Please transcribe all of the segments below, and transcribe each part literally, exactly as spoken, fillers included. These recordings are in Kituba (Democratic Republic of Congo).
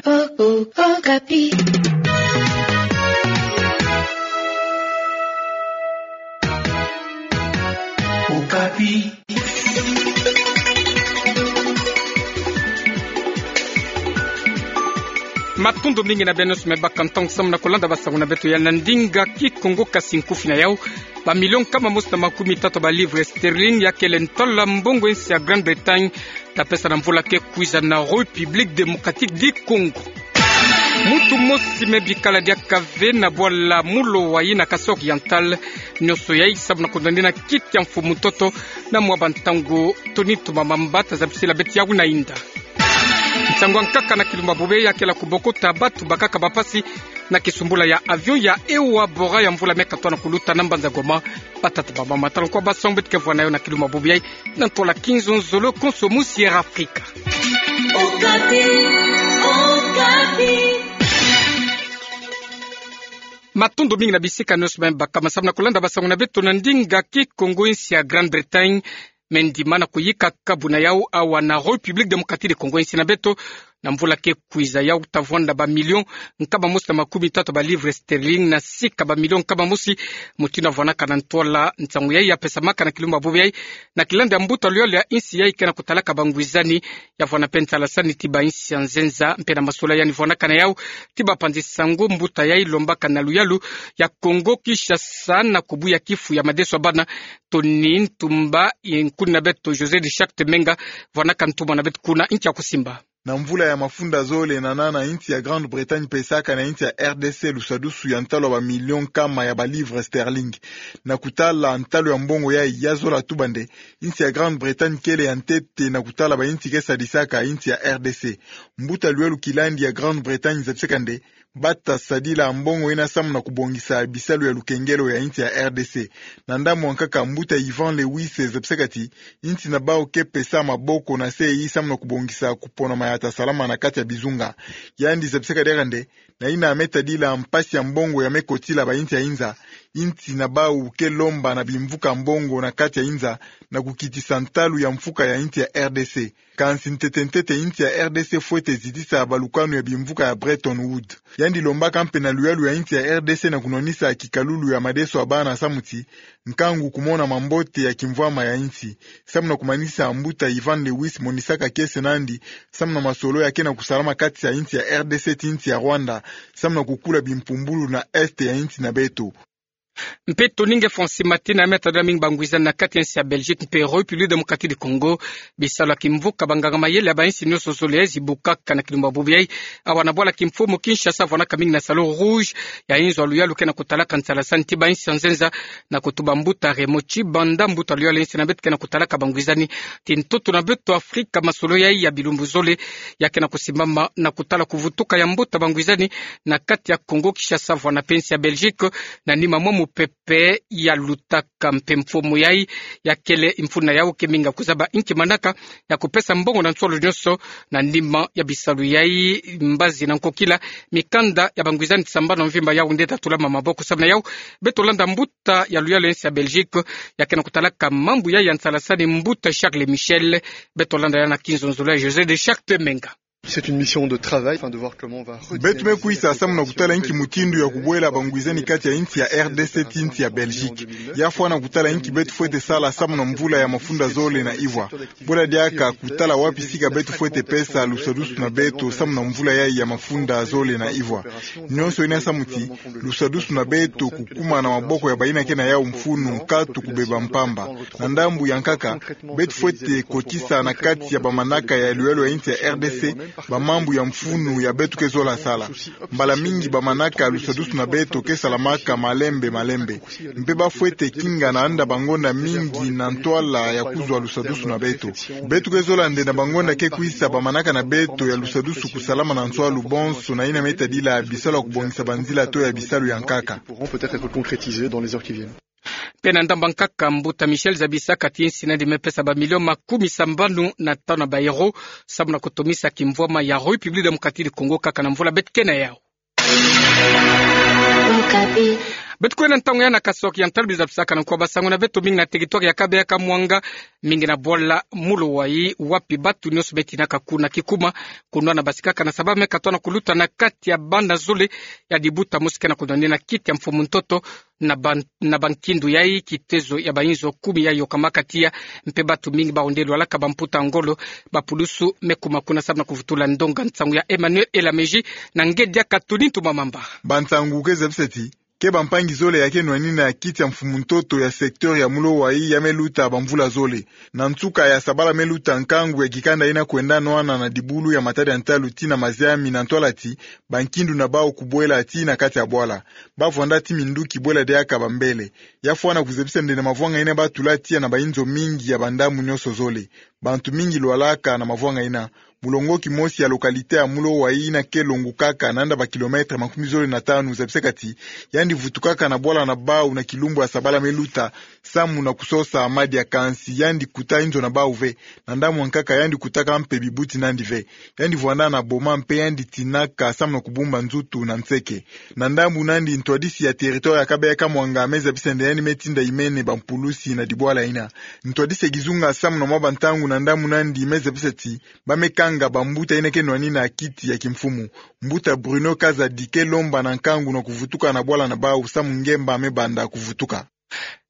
Oh, oh, Okapi. Okapi. Matondo mingi na beno nyonso me bakantangu samu na kolanda basango na beto ya na ndinga Kikongo. Kasi nkufi na yau, bamilio nkama mosi na makumi tatu ba livres sterling ya kele ntwala mbongo ya insi ya Grande-Bretagne ta pesa na mvula ke kwiza na République Démocratique du Congo. Muntu mosi me bikala diaka ve na bwala Mulo Wayi na Kasaï Oriental, nyonso yai samu na kondani na kiti ya mfumu ntoto na mwa bantangu. Tony Tumamamba ta zabisila beto yau na inda. Nsangu ya nkaka na kilumbu ya bobo yai ya kele kubokota batu bakaka bapasi na kisumbula ya avion ya Ewa Bora ya mvula me katoa na kuluta na mbanza Goma. Batata, bamama, tala nkwa basango beto ke vwa na yo na kilumbu ya bobo yai na ntwala Kinzonzolo konso mu Sierra Africa. Okapi, Okapi. Matondo mingi na bisika nyonso me bakama samu na kolanda basango na beto na ndinga Kikongo. Insi ya Grande-Bretagne me ndima na kuyika kabu na yau awa na République Démocratique du Congo, insi na beto, na mvula ke kwiza. Yau ta vwanda bamilio nkama mosi na makumi tatu ba livres sterling na sika bamilio nkama mosi, mutindu ya vwanaka na ntwala. Nsangu yai ya pesamaka na kilumbu ya bobo yai na kilanda ya mbuta luyalu ya insi yai ke na kutalaka bangwizani, ya vwanda mpe nsalasani ti bainsi ya nzenza. Mpe na masolo yandi vwanaka na yau ti bapanzi sango, mbuta yai lombaka na luyalu ya Congo Kinshasa na kubuya kifu ya madeso ya bana. Tony Ntumba, ye nkuni na beto José de Charte Menga vwanaka ntumwa na beto kuna. Nki ya kusimba? Na mvula ya mafunda zole na nana, insi ya Grande-Bretagne pesaka na insi ya R D C lusadusu ya ntalo ya bamilio nkama ya ba livres sterling. Na kutala ntalo ya mbongo yai, ya zola tuba nde insi ya Grande-Bretagne kele ya ntete na kutala bainsi ke sadisaka insi ya R D C. Mbuta luyalu kilandi ya Grande-Bretagne zabisaka nde bata sadila mbongo yina samu na kubongisa bisalu ya lukengelo ya insi ya R D C. Na ndambu ya nkaka, mbuta Ivan Lewis zabisaka ti insi na bau ke pesa maboko na se yi samu na kubongisa kuponama ya ta salama na kati ya bizunga. Yandi zabisaka diaka nde, na yina me tadila mpasi ya mbongo ya me kotila bainsi ya inza, insi na bau ke lomba na bimvuka mbongo na kati ya inza na kukitisa ntalu ya mfuka ya insi ya R D C. Kansi ntete-ntete, insi ya R D C fwete zitisa balukanu ya bimvuka ya Bretton Woods. Yandi lombaka mpe na luyalu ya insi ya R D C na kunwanisa kikalulu ya madeso ya bana samu ti nkangu kumona mambote ya kimvwama ya insi. Samu na kumanisa, mbuta Ivan Lewis monisaka kiese nandi samu na masolo ya ke na kusalama kati ya insi ya R D C ti insi ya Rwanda, samu na kukula bimpumbulu na Est ya insi na beto. Mpe Tony nge Francis Matina, me tadila mingi bangwizani na kati ya insi ya Belgique mpe République Démocratique du Congo. Bisalu ya kimvuka banganga mayele ya bainsi nyonso zole zibukaka na kilumbu ya bobo yai awa na bwala kimfumu Kinshasa, vwanaka mingi na Salon Rouge ya inzo ya luyalu ke na kutalaka nsalasani ti bainsi ya nzenza, na kutuba mbuta Raymond Tshibanda, mbuta luyalu ya insi na beto ke na kutalaka bangwizani ti ntoto na beto Afrika. Masolo yai ya bilumbu zole ya ke na kusimbama na kutala kuvutuka ya mbuta bangwizani na kati ya Congo Kinshasa, vwanda mpe insi ya Belgique, na nima mwa mupepe ya lutaka. Mpe mfumu yai ya kele mfunu na yau ke mingi ya kuzaba inki manaka ya kupesa mbongo na nsolo nyonso na nima ya bisalu yai. Mbazi na nkokila, mikanda ya bangwizani sambanu mvimba yau nde ta tulama maboko. Samu na yau, beto landa mbuta ya luyalu ya insi ya Belgique ya ke na kutalaka mambu yai ya nsalasani, mbuta Charles Michel. Beto landa yau na kinzonzolo ya José de Charte Menga. C'est une mission de travail, enfin, de voir comment on va redynamiser la coopération. Beto me kwisa samu na kutala inki mutindu ya kubwela bangwizani kati ya insi ya R D C ti insi ya Belgique. Ya fwana kutala inki beto fwete sala samu na mvula ya mafunda zole na ivwa. Bwela diaka kutala wapi sika beto fwete pesa lusadusu na beto samu na mvula yai ya mafunda zole na ivwa. Nyonso yina samu ti lusadusu na beto kukuma na maboko ya bayina ke na yau mfunu, nkatu kubeba mpamba. Na ndambu ya nkaka, beto fwete kotisa na kati ya bamanaka ya luyalu ya insi ya R D C bamambu ya mfunu ya beto ke zola sala. Mbala mingi bamanaka ya lusadusu na beto ke salamaka malembe malembe. Mpe ba fwete kinga na landa bangonda mingi na ntwala ya kuzwa lusadusu na beto. Beto ke zola nde na bangonda ke kwisa bamanaka na beto ya lusadusu kusalama na nswalu bonso na yina me tadila bisalu ya kubongisa banzila to ya bisalu ya nkaka. Pourront peut-être être concrétisés dans les heures qui viennent. Mpe na ndambu ya nkaka, mbuta Michel zabisaka ti insi na yandi me pesa bamilio makumi sambanu na tanu ya ba euro samu na kutomisa kimvwama ya République Démocratique du Congo kaka na mvula beto ke na yau. Okapi. Beto kwenda ntangu ya na kasoki ya ntalu biza bisaka na nkwa basangu na beto mingi na territoire ya Kabeya Kamwanga, mingi na bwala Mulowai, wapi batu nyonso betinaka kuna kikuma, kunwana basikaka na sababu me katwa na kuluta na kati ya banda zole ya dibuta mosi ke na kunwanina kiti ya mfumu ntoto na ban-, na bankindu yai, kitezo ya bainzo kumi yai yokamaka tiya, mpe batu mingi bahonde lwalaka bamputa ngolo, bapulusu me kuma kuna sababu na kuvutula ndonga nsangu ya Emmanuel Elameji na nge diaka Tony Ntumamamba. Bansangu ke zebisa ti ke bampangi zole ya ke nwanina kiti ya mfumu ntoto ya secteur ya Mulowai ya me luta bamvula zole. Na nsuka ya sabala me luta nkangu ya kikanda ina kwenda nwana na dibulu ya matadi ya ntalu tii na maziami na ntwala ti bankindu na bau kubwela tii na kati ya bwala. Bavwanda ti minduki bwela diaka bambele. Ya fwana kuzebisa nde na mavwanga ina batula tiya na bainzo mingi ya bandamu nyonso zole. Bantu mingi lwalaka na mavwanga ina. Mulongoki mosi ya localité ya Mulowai ina ke longukaka na nda ba kilomètre makumi zole na tanu zebisaka ti yandi vutukaka na bwala na bau na kilumbu ya sabala me luta samu na kusosa madia, kansi yandi kuta inzo na bau ve. Na ndamu ankaka yandi kutaka mpe bibuti nandi ve. Yandi vwanda na boma mpe yandi tinaka samu na kubumba nzutu na nseke. Na ndambu nandi ntwadisi ya territoire ya Kabeya Kamwanga me zebisa nde yandi me tinda imene bampulusi na dibwala ina. Ntwadisi ya kizunga samu na mwa bantangu na ndambu nandi me zebisa ti ba me kanga bambuta ina ke nwanina kiti ya kimfumu. Mbuta Bruno Kazadi ke lomba na nkangu na kuvutuka na bwala na bau samu ngemba me banda kuvutuka.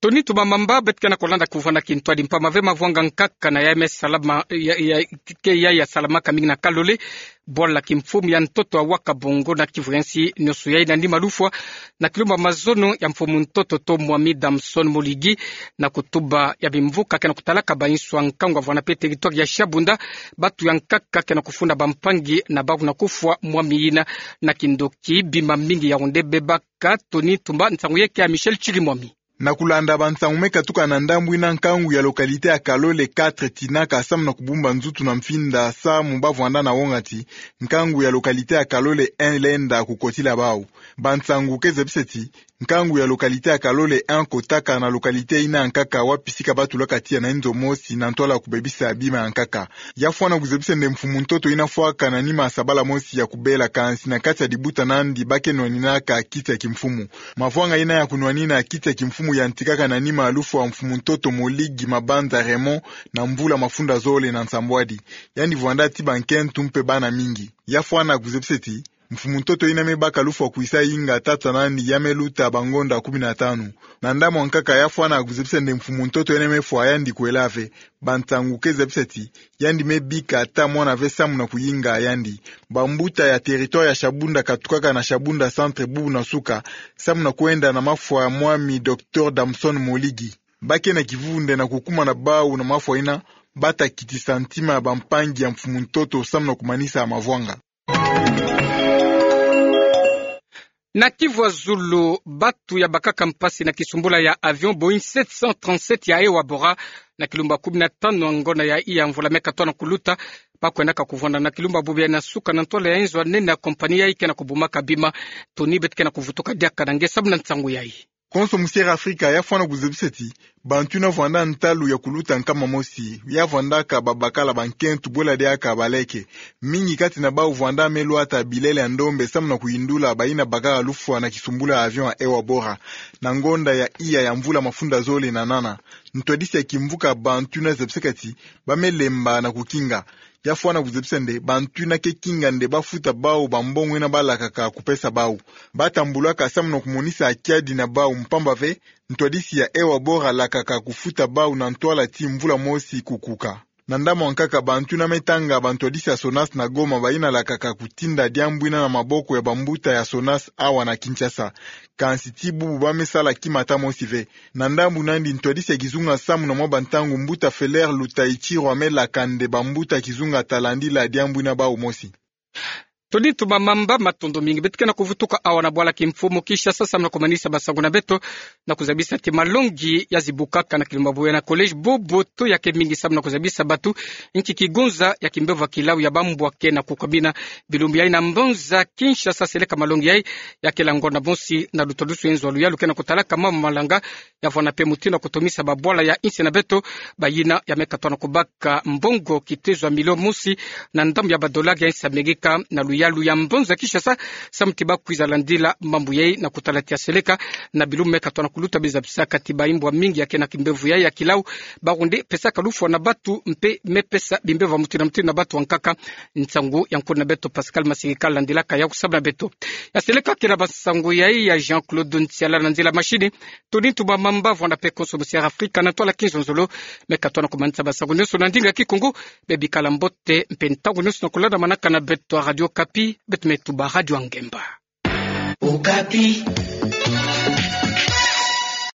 Tony Ntumamamba. Beto ke na kulanda kuvwanda kintwadi mpamba ve mavwanga nkaka na ya me salama, ya, ya, ke ya ya salamaka mingi na Kalole, bwala kimfumu ya ntoto ya Wakabongo na Kivu ya nsi nyonso yai na nima lufwa na kilumbu ya mazono ya mfumu ntoto to mwami Damson Moligi, na kutuba ya bimvuka ke na kutalaka bainso ya nkangu avwanda mpe territoire ya Shabunda, batu ya nkaka ke na kufunda bampangi na bau na kufwa mwami ina na kindoki, bima mingi ya honde bebaka. Tony Ntumba, nsangu yeke ya Michel Chirimwami. Na kulanda bansangu me katuka na ndambu ina, nkangu ya localité ya Kalole quatre tinaka samu na kubumba nzutu na mfinda samu bavwanda na wonga ti nkangu ya localité ya Kalole un lenda kukotila bau. Bansangu ke zebisa ti nkangu ya localité ya Kalole un kotaka na localité ina nkaka wapi sika batulaka tiya na inzo mosi na ntwala kubebisa bima ya nkaka. Ya fwana kuzebisa nde mfumu ntoto ina fwaka na nima ya sabala mosi ya kubela, kansi na kati ya dibuta nandi ba ke nwaninaka kiti ya kimfumu. Mavwanga ina ya kunwanina kiti ya kimfumu yantikaka na nima ya lufwa ya mfumu ntoto Moligi Mabanza Raymond na mvula mafunda zole na nsambwadi. Yandi vwanda ti bankentu mpe bana mingi. Ya fwana kuzebisa ti mfumu ntoto ina me baka lufwa kwisa inga tata nandi ya me luta bangonda kumi na tanu. Na ndambu ankaka ya fwana kuzebisa nde mfumu ntoto ina me fwa yandi kwela ve. Bansangu ke zebisa ti yandi me bika ata mwana ve samu na kuyinga yandi. Bambuta ya territoire ya Shabunda katukaka na Shabunda centre bubu na suka samu na kwenda na mafwa ya mwami docteur Damson Moligi. Ba ke na kivuvu nde na kukuma na bau na mafwa ina, bata kitisa ntima ya bampangi ya mfumu ntoto samu na kumanisa mavwanga. Na Kivu ya zulu, batu ya bakaka mpasi na kisumbula ya avion Boeing sept cent trente-sept ya Ewabora na kilumbu ya kumi na tanu ya ngonda ya iya mvula me katwa na kuluta, ba kwendaka kuvwanda na kilumbu ya bubu ya na suka na ntwala ya inzo ya nene ya compagnie yai ke na kubumaka bima. Tony, beto ke na kuvutuka diaka na nge samu na nsangu yai. Konso musiere Afrika ya fwana kuzebisa ti bantu ina vwanda ntalu ya kuluta nkama mosi, ya vwandaka babakala bankentu bwela diaka baleke. Mingi kati na bau vwanda me lwata bilele ya ndombe samu na kuyindula baina bakaka lufwa na kisumbula ya avion ya Ewabora na ngonda ya iya ya mvula mafunda zole na nana. Ntwadisi ya kimvuka bantu ina zebisaka ti ba me lemba na kukinga. Ya fwana kuzebisa nde bantu ina ke kinga nde ba futa bau bambongo ina balakaka kupesa bau. Ba tambulaka samu na kumonisa kiadi na bau mpamba ve ntwadisi ya Ewabora lakaka kufuta bau na ntwala ti mvula mosi kukuka. Na ndambu ankaka bantu ina me tanga bantwadisi ya SONAS na Goma baina lakaka kutinda diambu ina na maboko ya bambuta ya SONAS awa na Kinshasa. Kansi ti bubu ba me sala kima ata mosi ve. Na ndambu nandi ntwadisi ya kizunga samu na mwa bantangu mbuta Feller Lutaichirwa me laka nde bambuta kizunga ta landila diambu ina bau mosi. Tony Ntumamamba, matondo mingi. Beto ke na kuvutuka awa na bwala kimfumu Kinshasa samu na kumanisa basangu na beto na kuzabisa ti malongi ya zibukaka na kilumbu ya bubu ya na collège Boboto ya ke mingi samu na kuzabisa batu nki kigunza ya kimbevo ya kilau ya bambwa ke na kukamina. Bilumbu yai na mbanza Kinshasa seleka malongi yai ya ke la ngonda mosi na lutwadusu ya inzo ya luyalu ke na kutalaka mama malanga ya vwanda mpe mutindu ya kutomisa babwala ya insi na beto, bayina ya me katwa na kubaka mbongo kitezo ya milio mosi na ndambu ya badolari ya insi Amerika na luyalu Salu ya mbonza Kinshasa, samu ti bakwiza landila mambu yai na kutala tia seleka na bilu meka tona kuluta bizabisa kati ba imbwa mingi ya kena kimbevo yai ya kilau, bawu nde pesaka lufwa na batu mpe me pesa bimbevo ya mutindu na mutindu na batu ankaka. Nsangu ya nkuna beto Pascal Masirika landilaka yau samu na beto. Ya seleka kina ba nsangu yai ya Jean-Claude Nsiala na nzila machine. Tony Ntumba Mamba vwanda mpe konso musiara Afrika na ntwala kinzonzolo. Meka tona kumanisa ba nsangu nyonso na ndinga Kikongo. Bebikala mbote mpe ntangu nyonso na kulanda manaka na beto ya Radio Okapi, beto me tuba Radio Ngemba. Okapi.